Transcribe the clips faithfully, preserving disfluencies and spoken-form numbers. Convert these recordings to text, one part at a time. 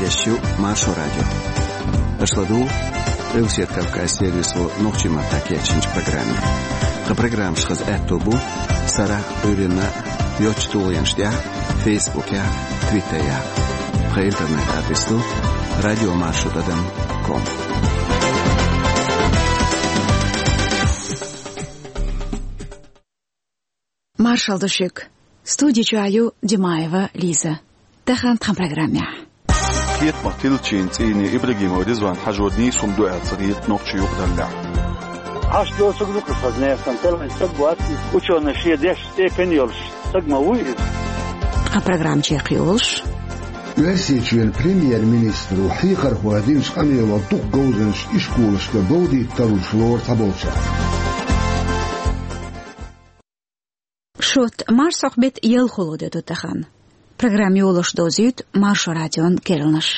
Эфирехь ю Маршо радио. Аша ладугӀу Къилбаседа Кавказан сервисо нохчийн маттахь кечйинчу программе. Тхан программаш хаза аьтто бу сарахь а, Ӏуьйранна а йоцачу тулгӀенаш тӀехь а, Фейсбукехь а, Твиттерехь а. Тхан интернет-адрес ду радио маршо тӀадам ком. Маршалла ду шуьга. Студи чохь ю Димаева Лиза. Тахана тхан программехь. Кхетамах тиллачийн цӀийне Ибрагимов Ризван хьажор нийса хӀума ду аьлла ца хета нохчийн юкъараллехь. Ӏаш доцург ду-кх хаза нехан, тера вайн стаг вац, учёный шен деш степень йолуш стаг ма вуй иза. Тхан программа чекхйолуш. Оьрсийчоьнан премьер-министро хьехархойн динчу къамелал дукха говзанчаш ишколашкара говзийтарлуш лору цхьаболчара. Шот, марсхьокху беттан ялхалгӀа де ду тахана. Программа йолош довзуьйту Маршо радион керланаш.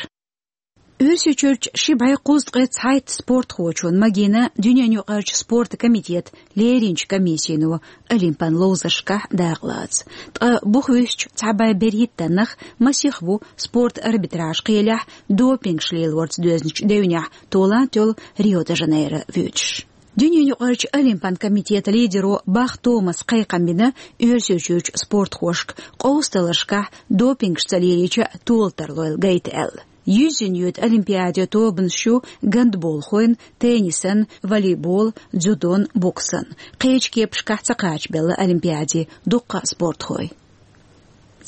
Оьрсийчуьрчу ши бӀе кхузткъе цхьайтта спортхочун магийна дуьненаюкъарчу спортан комитетан леринчу комиссино олимпан ловзаршкахь дакъалаца. Ткъа бух вуьсучу цхьа бӀе берхӀиттаннах масех ву спортан арбитраж кхелехь допингаш лелорца доьзначу девнехь толам а толлу Рио-де-Жанейро воьдуш. Дуьненаюкъарчу олимпан комитетан лидеро Бах Томаса кхайкхам бина Оьрсийчуьрчу спортхошка, къовсадаларшкахь допингаш ца лелийча а тола тарлойла гайта аьлла. Юьззина йоьду олимпиаде тобанаш ю гандболхойн, теннисан, волейболан, дзюдон, боксан. Кхечу кепашкахь ца кхачабелла олимпиаде дуккха а спортхой.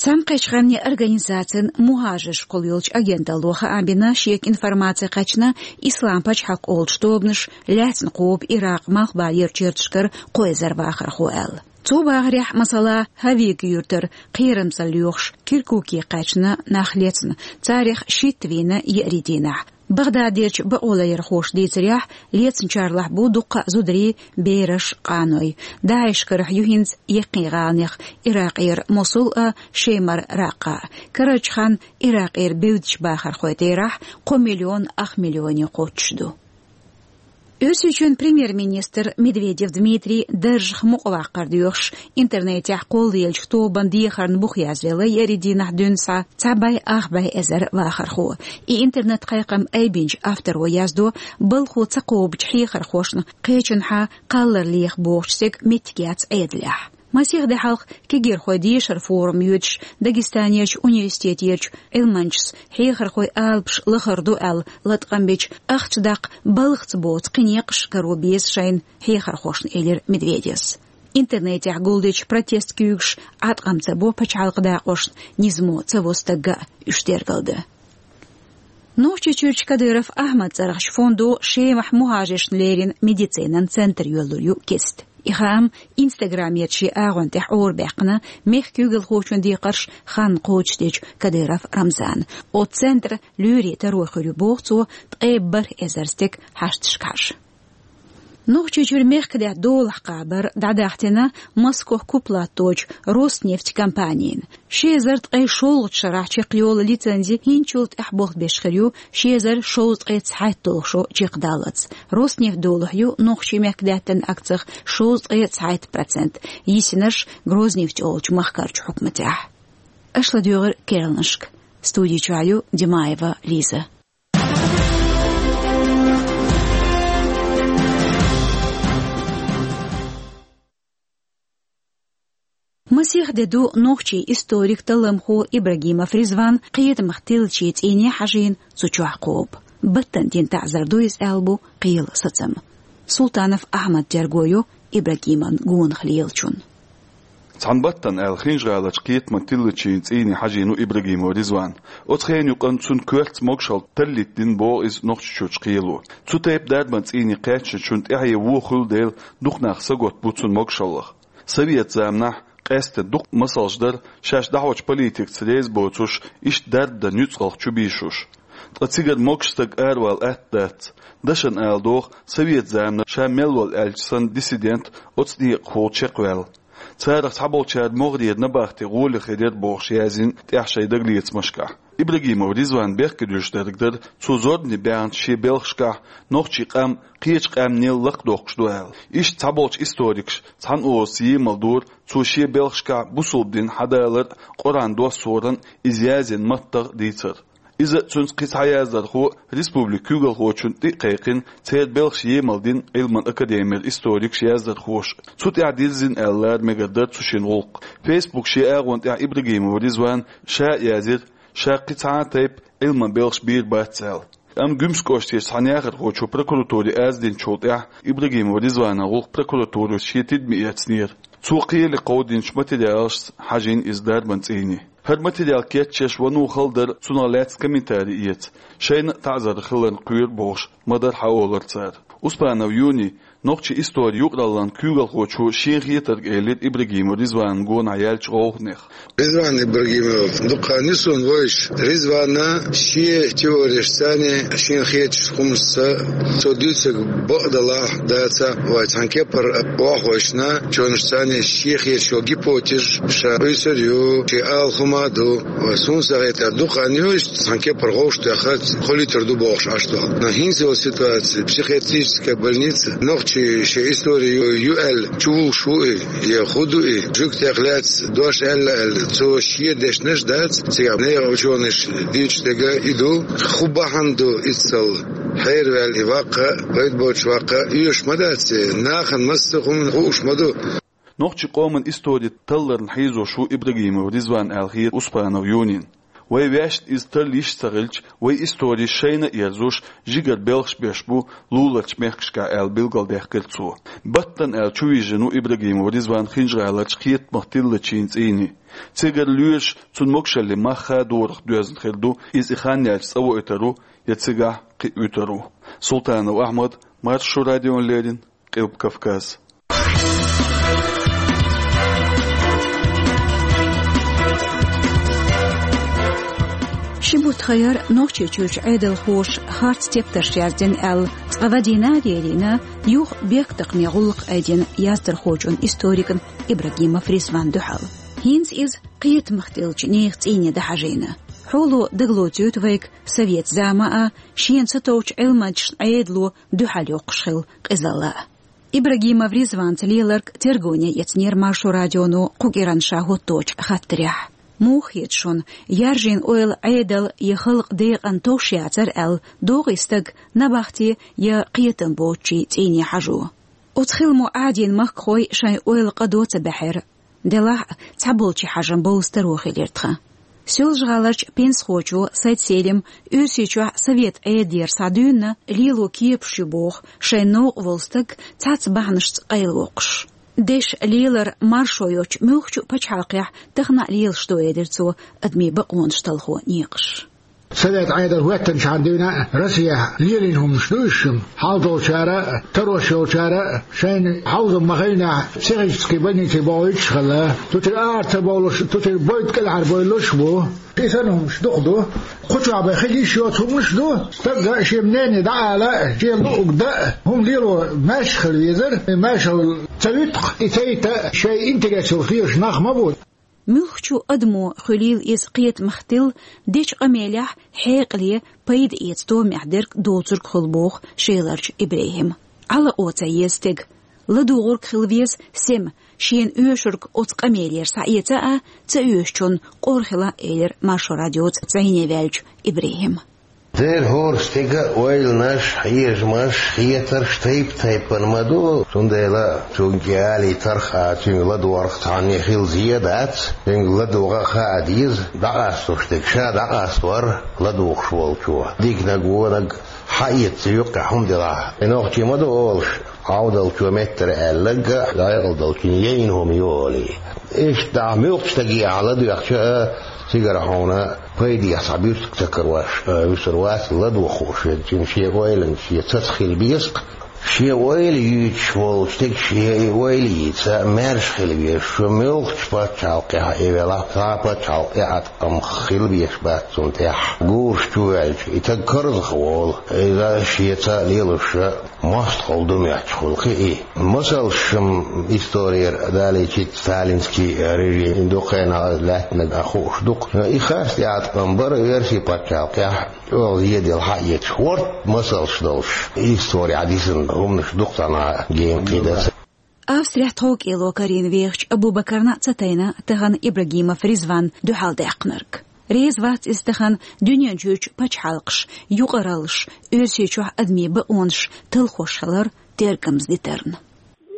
Цхьаьнакхеттачу Къаьмнийн Организацин мухӀажаршкахула йолчу агенталло хаам бина, шега информаци кхаьчна, Ислам пачхьалкх олучу тобанаша лаьцна кхобу Иракъан малхбалерчу ярташкара кхо эзар вахархо аьлла. Цу бахарехь, масала, Хьавига юьртара кхерамзалла лоьхуш Киркуке кхаьчна нах лецна, царах шийтта вийна еарин дийнахь. Багдадерчу бакъоларъярхоша дийцарехь, лецначарлахь бу дуккха а зударий, бераш, къаной. ДАИШ карахь ю хӀинца яккхий гӀаланех Иракъера Мосул а, Шемара Раккъа а. Карарчу ханна Иракъера бевддачу бахархойн терахь кхо миллион ах миллионе кхоччуш ду. Оьрсийчоьнан премьер-министр Медведев Дмитрий даржах мукъаваккхар доьхуш, интернетехь кхоллаеллачу тобанан дехарна бух язъелла еарин дийнахь дуьйна схьа цхьа бӀе ах бӀе эзар вахархо. И интернет-кхайкхам айбинчу авторо яздо, балхо ца кхобучу хьехархошна кхечанхьа кхаллар леха бохучу стеган меттиг яц Ӏедалехь. Масех де хьалха кегийрхойн дешаран форум йоьдуш Дагестанерчу университетерчу Ӏилманчас хьехархойн алапаш лахара ду аьлла латкъам бича, ахча даккха балхаца боцу кхин некъаш каро беза шайна хьехархошна, элира Медведевс. Интернетехь гулдечу протест куьйгаш Ӏаткъам ца бо пачхьалкхан дакъошна, низамо ца во стагга а уьш тергалдан. Нохчийчуьрчу Кадыров Ахьмадан цӀарахчу фондо Шемахь мухӀажаршна леррина медицинан центр йоьллур ю кеста. И хаам Инстаграмерчу шен агӀон тӀехь орабаьккхина мехкан куьйгалхочун декхарш ханна кхочушдечу Кадыров Рамзана. Оцу центран лоьрийн таро хир ю, боху цо, ткъе бархӀ эзар стеган хьашташкахьаш. Нохчийчуьра мехкадаьтта долахь кхабар дӀадахьийтина Москох куп латточу Роснефть компанина. Ши эзар ткъе шолгӀачу шарахь чекхйолу лицензи хӀинцачул тӀаьхьа болх беш хир ю ши эзар шовзткъе цхьайтта долу шо чекхдаллалц. Роснефть долахь ю нохчийн мехкадаьттан акцех шовзткъе цхьайтта процент, йисинарш Грознефть олучу махкарчу хьукматехь. Аша ладуьйгӀира керланашка. Студи чохь ю Димаева Лиза. Масех де ду нохчийн историк, талламхо Ибрагимов Ризван кхетамах тиллачийн цӀийне хьажийна цу чохь кхобу. Баттана дина таӀзар ду иза аьлла бу кхелан сацам. Султанов Ахьмад терго йо Ибрагимовн гонах лелачун. Цхьана баттана аьлла, Хинжа-ГӀаларчу кхетаман тиллачийн цӀийне хьажийна ву Ибрагимов Ризван. Оцу хенан юкъанна цунна коьртаца могушалла таллийтина боху иза Нохчийчуьрчу кхело. Цу тайпа дарбан цӀийне кхаьчначунна тӀаьхье вон хуьлу дела, дукха нах сагатта бу цунна могушаллах. Совет заманахь къаьсттина дукха масалш дара, шаьш дӀахьочу политикаца реза боцуш, иштта дарба дан нуьцкъалх чубийшуш. Ткъа цигара могуш стаг аравала атта дац. Дашана ала догӀу, совет заманахь ша мел волу аьлча санна диссидент оцу некъахула чекхваьлла. Царах цхьаболчара могӀарера набахте гӀоле хир яра бохуш язйина тӀехь шайн дагалецамашкахь. Ибрагимов Ризван бехкедуьйш дерг дара, цо зорбане баьхначу шен белхашкахь нохчийн къам кхечу къаьмнел лакхадоккхуш ду аьлла. Иштта цхьаболчу историкаша цхьана озаца емал дора цо шен белхашкахь бусалба дин хьадалар а, Къуръан доссоран а, иза язйина маттах а дийцар. Иза а, цуьнца кхин цхьа яздархо а республикан куьйгалхочунна тӀе а кхайкхина, церан белхаш емал дина Ӏилманан академера историкаш, яздархоша. Цу тӀехь дирзина аьлла лара мегар дара цу шина гӀуллакх. Фейсбук шен агӀон тӀехь Ибрагимов Ризвана ша а язйира, ша кхин цхьа а тайпа Ӏилманан белхаш бийр бац аьлла. Амма Гуьмсан кӀоштарчу цхьана яхархочо прокуратуре аз динчул тӀаьхьа Ибрагимов Ризванан гӀуллакх прокуратуро шен тидаме эцнера. Цо кхеле кховдийначу материалашца хьажийна иза дарбан цӀийне. ХӀара материал кечъеш вано хала дара, цунах лаьцна комментари эца, шайна а таӀзар хиларна кхоьру бохуш, ма-дарра хьаолура цара. Успанов Юни, нохчийн историн юкъараллин куьйгалхочо, шен хетарг элира Ибрагимов Ризванна гонахь яьллачу гӀовгӀанех. Ризван Ибрагимов дукха хан ю суна вевзаш. Ризвана шен теорияшца, шена хетачу хӀуманашца, цо дуьйцург бакъ далахь а, дацахь а, вай цхьана кепара охьахевшина, чонашца шен хеташ йолу гипотезаш ша къуьйсур ю, шен ала хӀума а ду. Вай, суна ца хетар, дукха хан ю иштта цхьана кепара гӀовш тоьхна, кхоллийтур ду бохуш Ӏаш долу. Но хӀинца йолу ситуация, психиатрическая больница, нохчийн шен истори ю, ю аьлла, чувуллуш ву и, я хӀун ду и, жуьгтех лаьцна дош аьлла аьлла, цо шен дешнаш дац, цигахь нехан учёныша дуьйцуш дерг и ду, хӀун бахьана ду иза ца хьераваьлла и ваккха, пайда боцуш ваккха, оьшуш ма дац и, нахана массо а хӀума хууш ма ду. Нохчийн къоман истори талларна хьийзош ву Ибрагимов Ризван аьлла хета Успанов Юнина. Вай ваьшна иза тарра йиш ца хилча, вай истори шайна а ерзош, жигара белхаш беш бу луларчу мехкашкахь аьлла билгалдаьккхира цо. Баттана аьлла чувижина ву Ибрагимов Ризван Хинжа-ГӀаларчу кхетамах тиллачийн цӀийне. Цигара лоьраша цуьнан могушаллин мах а дорах доьзна хир ду, иза и хан яьлча цӀа воуьйтур ву, я цигахь кхин а вуьтур ву. Султанов Ахьмад, Маршо радиона леррина, Къилба Кавказ. Ши бутт хан яра Нохчийчуьрчу Ӏедалхоша харц тептарш яздина аьлла, цкъа вадийна а дерийна, юха бехктакхаме гӀуллакх айдина яздархочун, историкан Ибрагимов Ризван дуьхьал. ХӀинца иза кхетамах тиллачу нехан цӀийне дӀахьажийна. Хьоло дагалоцуьйту вайга совет зама а, шена сатовчу Ӏилманчашна Ӏедало дуьхьал йоккхуш хилла къизалла а. Ибрагимов Ризванца леларг тергале эцнера Маршо радионо кху кӀиранна ша хӀотточу хаттарехь. Муха хета шуна, яржийна ойла Ӏедал я халкъан декъана товш яцара аьлла, догӀий стаг набахте я кхетам боцучийн цӀийне хьажо? Оцу хиламо Ӏадийна махкахой шайн ойла къа до ца баьхьира. Делахь а, цхьаболчийн хьажам болу старо хилира тхан. Соьлжа-ГӀаларчу пенсахочо Сайд-Селима Оьрсийчохь совет Ӏедалера схьадуьйна лело кепаш ю боху шайн новкъа волу стаг цхьацца бахьанашца къайлавоккхуш. Дешан лелар маршо йоцчу муьлххачу пачхьалкхехь тахана а лелаш ду, элира цо, адамийн бакъонаш талхо некъаш. Совет Ӏедал хӀоьттинчхьана дуьйна Россехь лелийна хӀуманаш ду уьш шуна. Хьал долчара а, тарош йолчара а шайна хьовзам ма-хиллинехь психический больнице бохуьйтуш хилла. Цу тӀера ара ца бовлуш, цу тӀера бойда кӀелхьарбовлуш бу. И санна хӀуманаш дукха ду. Кху чохь бен хила йиш йоцу хӀуманаш а ду. Стага шен мнение дӀаала а, шен луург дан а, хӀума лело маьрша хила везара. Маьршалла ца вуьту-кх и цӀа йита а, шайн интерес йолуш лелаш нах ма бу. Муьлххачу адамо, хуьлийла иза кхетамах тилла, дечу къамелехь хьекъале, пайда эца томехь дерг доцург хуьлу боху Шеларчу ИбрахӀима. Ӏалакъо ца еза стеган. ЛадугӀург хила веза сема, шена оьшург оцу къамелера схьаэца а, ца оьшучунна къора хила а, элира Маршо радиоца зӀене ваьллачу ИбрахӀима. Дера хӀора стеган ойланаш, хьежамаш, хетарш тайп-тайпана ма ду, цундела цуьнга алий тарх а, цуьнга ладогӀарх цхьанне хила зен а дац, цуьнга ладогӀа а хаа деза, дӀакъасталуш дерг ша дӀакъастор ладугӀуш волчо. Диканиг, вониг хьаэца юккъехь хӀума делахь, и нохчий ма ду олуш, Ӏовдалчо меттара аьлларг а, декъала долчунна яйна хӀума ю олий. Иштта ахь муьлххачу стаге ахь ладоьгӀча а, цигара хьуна пайдехь цхьа буьрсиг ца карош, а, вуьсур вац ладугӀуш верг, цуьнан шен ойланаш, шен цаца хила беза-кх. Шен ойла юьйцуш волчу стеган шен и ойла йийца, маьрша хила везаш, шу муьлххачу пачхьалкхехь а велахь, цхьа а пачхьалкх тӀеӀаткъам хила безаш бац цунна тӀехь. Гураш чу ваьлча, и стаг карзахволу, иза шеца лелош а мостагӀалла ду моьттуш хуьлу-кх и. Масалш-м исторера далийча, сталинский режим дукха хенахь лаьттинарг а хууш ду-кх. И харц тӀеӀаткъам бара оьрсийн пачхьалкхехь, чӀогӀа зеделла хьаэцаш, хӀорд масалш долуш, исторехь дисина хӀуманаш дукха цхьанхьа генахь кхидӀа ца. Австрехь тховкӀело карийна вехачу Абу-Бакарна а ца тайна тахана Ибрагимов Ризван дуьхьалдаьккхинарг. Реза вац иза тахан дуьнен чуьрчу пачхьалкхаш, юкъараллаш, Оьрсийчохь адамийн бакъонаш талхош хилар тергамза дитарна.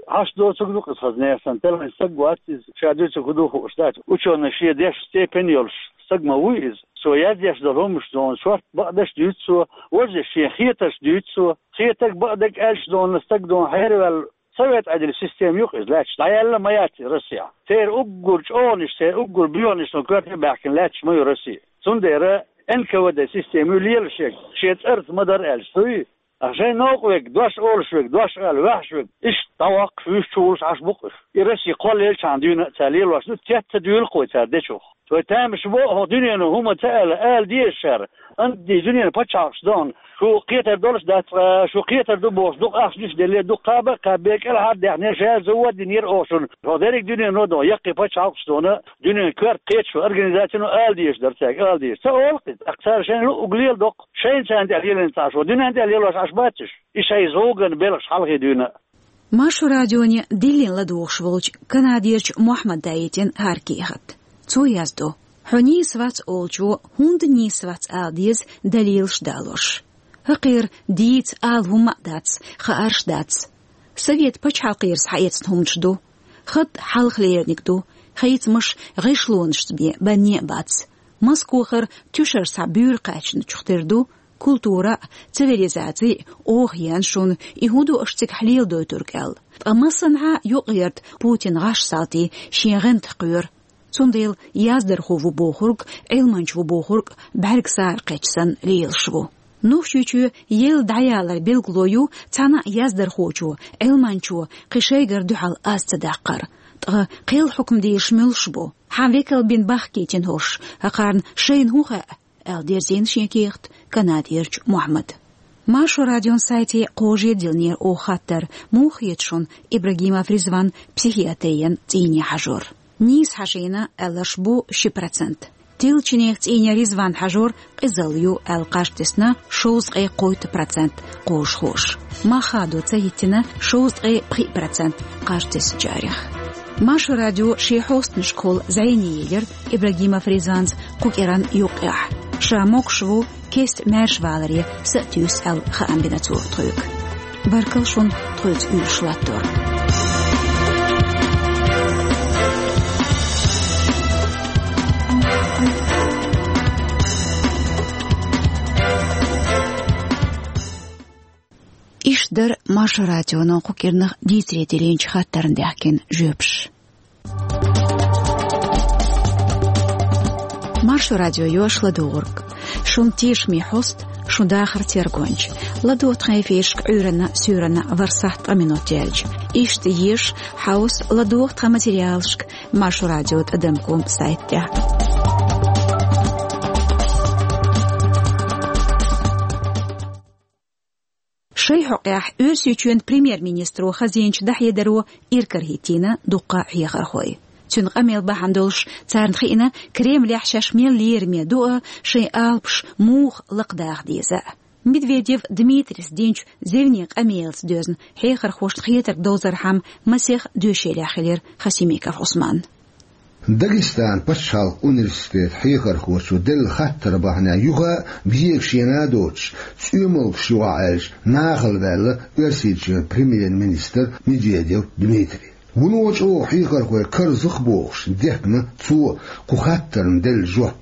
Хьашт доцург ду-кх иза хаза нехсан, тела стаг вац иза, ша дуьйцург хӀун ду хууш дац. Учёный шен деш степень йолуш стаг ма вуй иза. Цо яздеш долу хӀуманаш зона шорта бакъдерш дуьйцу цо, важа шен хетарш дуьйцу цо, хетарг бакъдерг аьлча зона стаг дона хьераваьлла. Совет Ӏедалан система ю-кх иза лаьтташ, дӀаяьлла ма яц и Россехь. Церан уггар чӀогӀанаш, церан уггар боьханаш сан коьрте баьхкина лаьтташ ма ю Россия. Цундела Н К В Д система ю лелаш ерг, шен цӀарца ма-дарра аьлча, цу ю. Ткъа шайн новкъа верг, дош олуш верг, дош ала ваьхьаш верг, иштта дӀаваккхаш, вуьш чу волуш Ӏаш бу-кх уьш. И Россия кхоллаелчахьана дуьйна а цара лелош ду, тет ца дуьйлу-кх вай цара дечух. Вай тамаш бо хӀокху дуьнено хӀума ца аьлла, ала деза шара, анди дуьненан пачхьалкхаш дан, шу кхетар долуш дац, ткъа шу кхетар ду бохуш, дукха ахча дуьсуш деллера, дукха кхаба а кӀелхьара даьхнера, шаьш завод динера оха шуна. ХӀокху дерриг дуьнено дан, яккхий пачхьалкхаш дона, дуьненан коьрта кхеташо организацино ала дезаш дара цаьрга, ала дезаш. Ца олу-кх иза, тӀаккха цара шайн луъург леладо-кх, шайна царна тӀехь лелийна ца Ӏаш, вай дуьненна тӀехь лелош Ӏаш бац уьш. И шайн зуган белхаш хьалхе дуьйна а. Маршо радионе диллина ладугӀуш волчу канадерчу Мохьмада йитина хӀара кехат. Цо яздо: «Хьо нийса вац олучо хӀунда нийса вац ала деза далилаш далош. ХӀокхеран дийца ала хӀумма а дац, хаарш а дац. Совет пачхьалкхера схьаэцна хӀуманаш ду. Хатта хьалха лериниг ду, хийцамаш гӀишлонашца бен банне а бац. Москохара туьшар схьа буьйра кхаьчначух тера ду, культура а, цивилизаци а оха еана шуна, и хӀун ду аша цигахь леладойтург аьлла. Ткъа массанхьа юкъаярда Путин гӀаш салтий шен гӀантах кхоьру. Цундела яздархо ву бохург, Ӏилманча ву бохург бӀаьрг сара кхечча санна лелаш ву». Нохчийчоь елла дӀаялар билгало ю цхьана а яздархочо, Ӏилманчо кхин шайгара дуьхьал аз ца даккхар. Ткъа кхел хьукмадерш муьлш бу? Хьан векал бина бахкийтина хӀорш, хӀокхарна шайна хӀун хаьа? аьлла дерзийна шен кехат канадерчу Мохьмада. Маршо радион сайте кхожа диллинера оха хаттар: муха хета шуна Ибрагимов Ризван психиатрин цӀийне хьажор? Нийса хьажийна аьлларш бу ши процент. Тилла чинех цӀийне Ризван хьажор къизалла ю аьлла кхаж тесна шовзткъе кхойтта процент кхожахоша. Мах хадо ца хӀиттина шовзткъе пхиъ процент кхаж теснчарех. Маршо радио шен хьостанашкахула зӀене елира Ибрагимов Ризванца кху кӀиранна юккъехь. Ша могуш ву кеста маьршаваларе са а туьйсу аьлла хаам бина цо тхоьга. Баркалла шуна тхоьца уьйраш латтор. Иштта дара Маршо радионо кху кӀирнах дийцаре диллинчу хаттарна даьхкина жоьпаш. Маршо радио йоьшу ладугӀург. Шун тешаме хьоста, шун дахар тергонча. ЛадогӀа тхан эфирашка Ӏуьйранна, суьйранна ворхӀ сахьт ткъа минот яьлча. Иштта еша, хьовса, ладогӀа тхан материалашка Маршо радио тӀадам ком сайт тӀехь. Шайн хьокъехь Оьрсийчоьнан премьер-министро хазийначу дӀахьедаро иракарахӀиттийна дуккха а хьехархой. Цуьнан къамел бахьана долуш царна хиъна, Кремлехь шаьш мел лераме ду а, шайн алапаш муха лакхадаха деза а. Медведев Дмитрис динчу зевне къамелаца доьзна хьехархошна хетарг довзархьама масех доьшийлехь хилира Хасимиков Ӏусман. Дагестанан пачхьалкхан университетан хьехархочо делла хаттар бахьанехь юха а, бегаш шена а доцуш, цӀоьмалгаш юкъахь аьлча, нахала ваьлла Оьрсийчоьнан премьер-министр Медведев Дмитрий. Вуно чӀогӀа хьехархой карзах бохуш, дехна цо кху хаттарна делла жоп.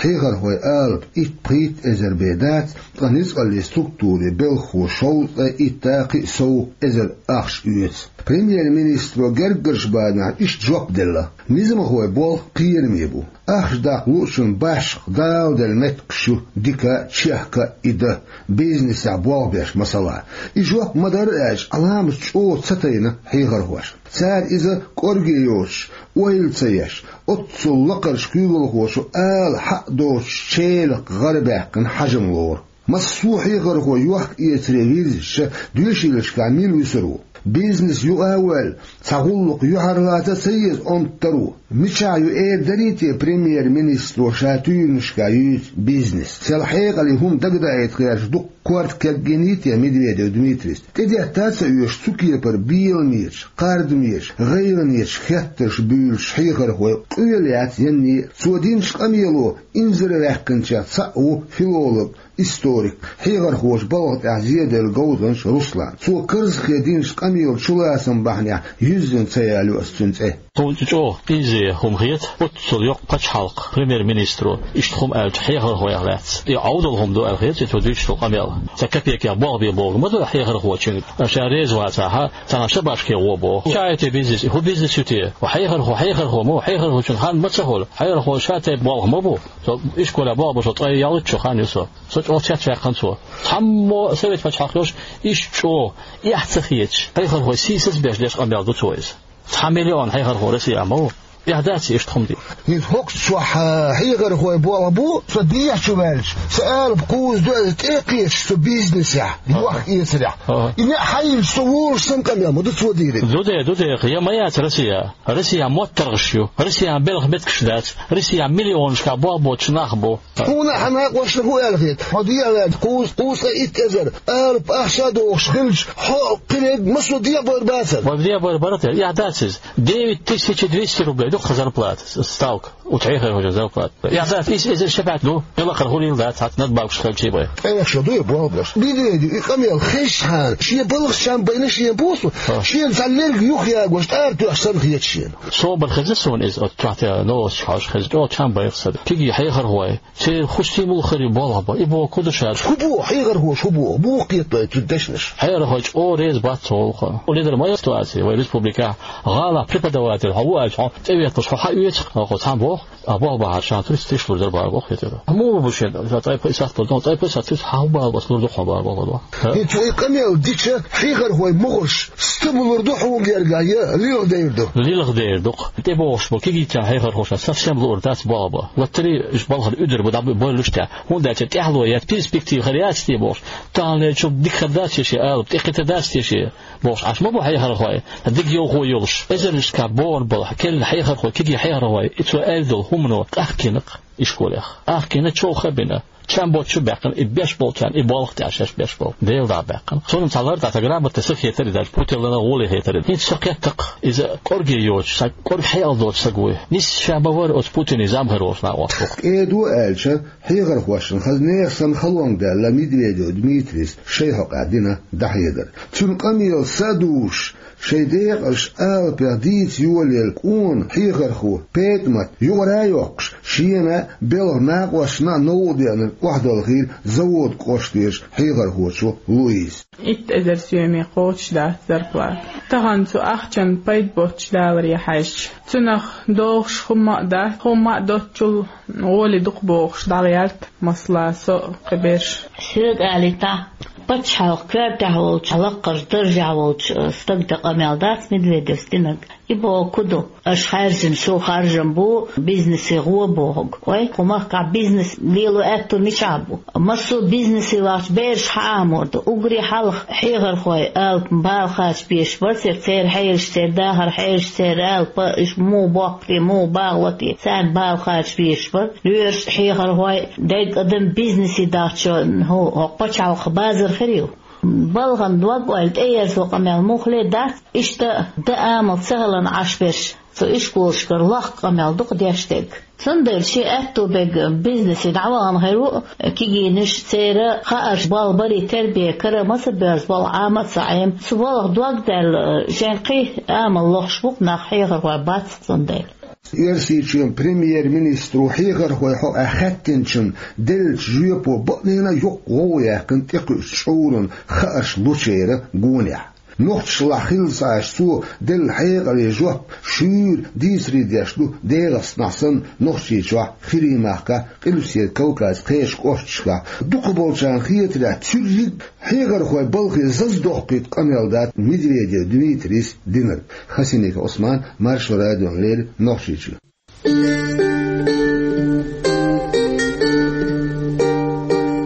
Хьехархой алапа итт-пхийтта эзар бен дац, ткъа ницкъаллин структурийн белхахо шовзткъе итт-кхиъ сов эзар ахча оьцу. Премьер-министро гергарчу бадехь иштта жоп делла: низамхойн болх кхераме бу. Ахча даккха луучун башха дала делла меттигаш ю дика а, чехка а и дан, бизнесехь болх беш, масала. И жоп ма-дарра аьлча, Ӏаламат чӀогӀа ца тайна хьехархошна. Цара иза кӀорге йоцуш, ойла ца еш, оццул лакхарчу куьйгалхочо ала хьакъ доцуш челакх гӀарабаьккхина хьажам лору. Массо а хьехархо йохка-эцаре вирзича, доьшийлашкахь мила вуьсур ву? Бизнес юкъа а воьлла, цхьа гӀуллакх юьхьарлаца а ца еза онтару. Мичахь ю эр дарий те премьер-министро ша туьйранашка юьйцу бизнес? Сел хьекъале хӀума дагадаийта гӀерташ дуккха корта кегийний те Медведев Дмитрийс? ТӀедетта а ца оьшуш, цу кепара беламечу, кхардамечу, гӀайгӀанечу хеттарш буьйлуш хьехархой къоьлла яц янне а. Цо динчу къамело инзарваьккхинчех цхьаъ ву филолог, историк, хьехархочу балха тӀехь зеделла говзанча Руслан. Цо карзахе динчу къамелан чулацам бахьанехь юьззина ца ялайо аса цуьнан цӀе. Тхуна чӀогӀа къиза хӀума хета, оццул йоккха пачхьалкхан премьер-министро иштта хӀума аьлча хьехархойх лаьцна. И Ӏовдал хӀума ду аьлла хета цо дуьйцуш долу къамел. Цхьа капекех болх бен богу ма ду хьехархочуьнга, ша реза вацахь, цхьана шабашке гӀо боху. Ша и те бизнес, хӀун бизнес ю те? Хьехархо, хьехархо ма ву, хьехархочун хан ма ца хуьлу. Хьехархо ша тайпа болх ма бу. Со ишколехь болх бу, со ткъе ялхитта шо хан ю со. Со чӀогӀа цецваьккхина цо. Цхьаммо совет пачхьалкх йолуш, иштта чӀогӀа эхь ца хеташ, хьехархой сийсаз а беш деш къамел ду цо иза. Цхьа миллион хьехархо Россехь ма ву. Эхь дац иштта хӀума де. ХӀинца хӀокху чохь хьехархой болх бу, со дехьа чу ваьлча, сан алапа кхузза ду, аса тӀе а кхеташ цу бизнесехь, йохка-эцарехь. Ага. И неӀ хьайна со волуш санна къамел ма ду цо дийриг. Ду де, ду де, я ма яц Россехь. Россехь моттаргӀаш ю, Россехь белхан меттигаш дац, Россехь миллионашкахь болх боцуш нах бу. Хьуна а хьан накъосташна хӀун аьлла хета? Хьо дехьаваьлча кхузза, кхузткъе итт эзар алапа ахча а дохуш хилча, хьо кхин ерг массо а дехьабар бацара. Вай дехьабар бара те, эхь дац иза. Девять тысяч двести рублей ду-кх зарплата, ставка. Оцу хьехархочун зарплата. Эхь дац, исс эзар шабаьхьа ду, и лакхара хуьлийла дац, хьан надбавкаш хилчий бен. Ткъе шо ду и болх беш. Медведев и къамел хезчхьана, шен балхах чам байна шена боху, шена цхьа лерг юхаягош, тӀара тоьхча санна хета шена. Собар хеза суна иза, оцу чохь тӀе новосташ хьожуш хеза, чӀогӀа чам байра сан. Кегий хьехархой, церан хӀун стимул хир ю болх бан? И боху ку ду ша? ХӀун боху хьехархоша, хӀун боху? Муха кхетадо цу дешнаш? Хьехархой чӀогӀа реза бац цу гӀуллакхах. Хьуна ледара ма яра ситуаци вай республикехь, гӀалахь преподаватель хьо ву аьлча, хьо тӀеветлуш хьо хьан оьцу, хьо цхьаьна боху, а болх бахьара ша туьрста тишлур дара боху хетара. Муха бу шен, ша цӀай пхи сахьт болу, цӀай пхи сахьт туьрста хьан хӀун бала бац лур ду хьуна бара болх бан. ХӀинца и къамел дича, хьехархой могӀарш стамалур ду хьуна гергахь, я лилхадер ду? Лилхадер ду-кх. ТӀебогӀуш бу кегийчарна хьехархошна совсем луур дац болх бан. Лоттарий уьш балхана уьдур бу, дӀа бу-, бойлуш тӀехь. ХӀунда аьлча тӀаьхьало яц, перспектива хир яц те бохуш. Таханлерчул дика хир дац те шен алапа, тӀекхетар дац те шен бохуш Ӏаш ма бу хьехархой, дика йовхо йолуш. Эзарнашкахь богӀур болу, керлачу хьехархой, кегий хьехархой, и цо аьлла долу хӀумано къахкийна-кх ишколех. Къахкийна, чӀогӀа ха бина. Чам боцуш а баьккхина, и беш болчарна, и болх тӀехь шаьш беш болу. Дела дӀа а баьккхина. Суна цхьа лар дац, граммота сан хетар и даьлча, путеллана гӀоле хетар и. ХӀинца со кхетта-кх, иза кӀорге йоцуш, сан кӀорга хьекъал доцу саг вуй. Нисса ша ма вара оцу Путине зӀамхир волуш накъост ву-кх. КӀеда аьлча, хьехархошна хаза нехан санна халонга даьлла Медведев Дмитрийс шайн хьокъехь дина дӀахьедар. Цуьнан къамел са а дузуш, шайн декъазчу алапех дийца йолаелла кӀант хьехархо ПетӀамат юкъара а йоккхуш, шена а, белхан накъосташна а новкъа деанарг охьадалхийра Заводкъоштан кӀоштан хьехархочо Луиза. Итт эзар соьме кхочуш дац зарплата. Тахана цу ахчанна пайда боццуш даларе хьаьжча, цунах догӀуш хӀумма а дац, хӀумма а доцчул гӀоли дукха бохуш дӀагӀерта, масала, со а, кхин берш. Соьга алийтахь, пачхьалкхан коьртехь волчу, лаккхарчу даржехь волчу стага тӀе къамел дац Медведевс динарг. И боху ку ду, аша хаьржина шу харжам бу, бизнесе гӀо бохург. Ой, кху махкахь бизнес лело аьтту мичахь бу? Массо а бизнесе вахча бераш хьаамор ду. Уггаре хьалха хьехархой алапа бала кхача безаш бара церан, церан хьелаш, церан дахар хьелаш, церан алапа, уьш муха боккху те, муха багӀо те, царна бала кхача безаш бара. Лоьраш а хьехархой, дерриг адам бизнесе дахча, хӀу, хӀокху пачхьалкхан базар хир ю. Балхана дог-ойла тӀеерзо къамел муххале дац, иштта дан амал ца хиларна Ӏаш берш, цу ишколашкара лохка къамел ду-кх деш дерг. Цундела шен аьтту берг бизнесе дӀавахана хир ву, кегийнаш церан хаарш болх барий тербия кара ма ца боьрзу, болх Ӏама а ца Ӏема. Цу балха дог даьлла, шайн кхин амал лохуш бу-кх нах, хьехархой бац-кх цундела. Оьрсийчоьнан премьер-министро хьехархойн хьокъехь хаьттинчунна деллачу жоьпо бакъдерг а йоккха гӀовгӀа яьккхина тӀекхуьучу чкъуран хаарш лучеран гонехь. Нохчашлахь хилла ца Ӏаш, цо делла хьекъале жоп шуьйра дийцаре деш ду ДегӀастанахь санна Нохчийчохь, ХӀирийн махкахь, Къилбаседа Кавказан кхечу кӀошташкахь. Дукхахболчарна хетарехь, цуьрриг хьехархойн балхе зазадоккхуьйту къамел дац Медведев Дмитрийс динарг. Хасимиков Ӏусман, Маршо радиона леррина, Нохчийчуьра.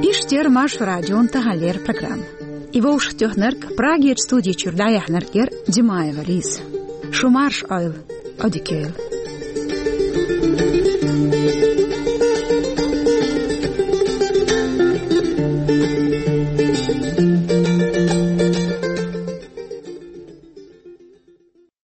Иштта яра Маршо радион таханлера программа. И вовшахтоьхнарг, Прагерча студи чуьра дӀаяьхьнарг яр Димаева Лиза. Шу марша Ӏойла, Ӏодика йойла.